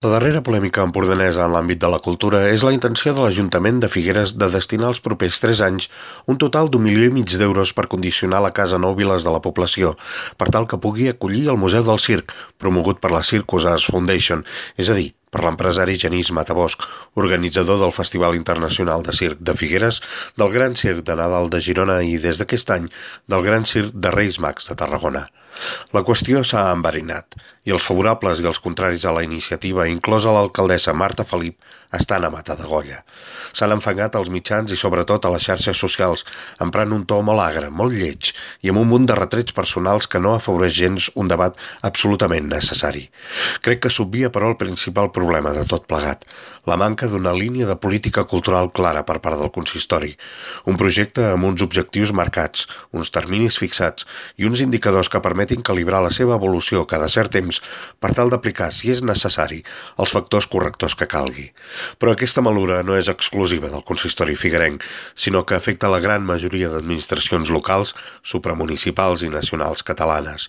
La darrera polèmica empordanesa en l'àmbit de la cultura és la intenció de l'Ajuntament de Figueres de destinar els propers 3 anys un total d'1,5 milió d'euros per condicionar la Casa Nou Viles de la població, per tal que pugui acollir el Museu del Circ, promogut per la Circus Arts Foundation, és a dir, per l'empresari Genís Matabosch, organitzador del Festival Internacional de Circ de Figueres, del Gran Circ de Nadal de Girona i, des d'aquest any, del Gran Circ de Reis Mags de Tarragona. La qüestió s'ha enverinat i els favorables i els contraris a la iniciativa, inclosa l'alcaldessa Marta Felip, estan a mata d'agolla. S'han enfangat als mitjans i sobretot a les xarxes socials, emprant un to molt agre, molt lleig i amb un munt de retrets personals que no afavoreix gens un debat absolutament necessari. Crec que s'obvia però el principal problema de tot plegat, la manca d'una línia de política cultural clara per part del consistori. Un projecte amb uns objectius marcats, uns terminis fixats i uns indicadors que permetin calibrar la seva evolució cada cert temps per tal d'aplicar, si és necessari, els factors correctors que calgui. Però aquesta malura no és exclusiva del consistori figuerenc, sinó que afecta la gran majoria d'administracions locals, supramunicipals i nacionals catalanes.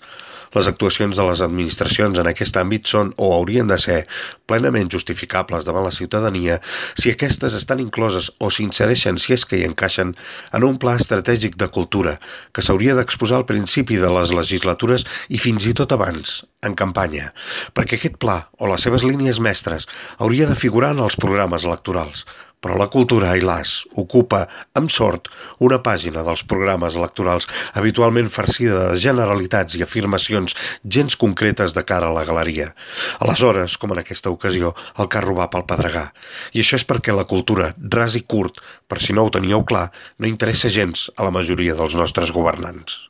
Les actuacions de les administracions en aquest àmbit són o haurien de ser plenament justificables davant la ciutadania si aquestes estan incloses o s'insereixen, si és que hi encaixen, en un pla estratègic de cultura que s'hauria d'exposar al principi de les legislatures i fins i tot abans, en campanya, perquè aquest pla o les seves línies mestres hauria de figurar en els programes electorals. Però la cultura, ai las, ocupa, amb sort, una pàgina dels programes electorals habitualment farcida de generalitats i afirmacions gens concretes de cara a la galeria. Aleshores, com en aquesta ocasió, el carro va pel pedregar. I això és perquè la cultura, ras i curt, per si no ho teníeu clar, no interessa gens a la majoria dels nostres governants.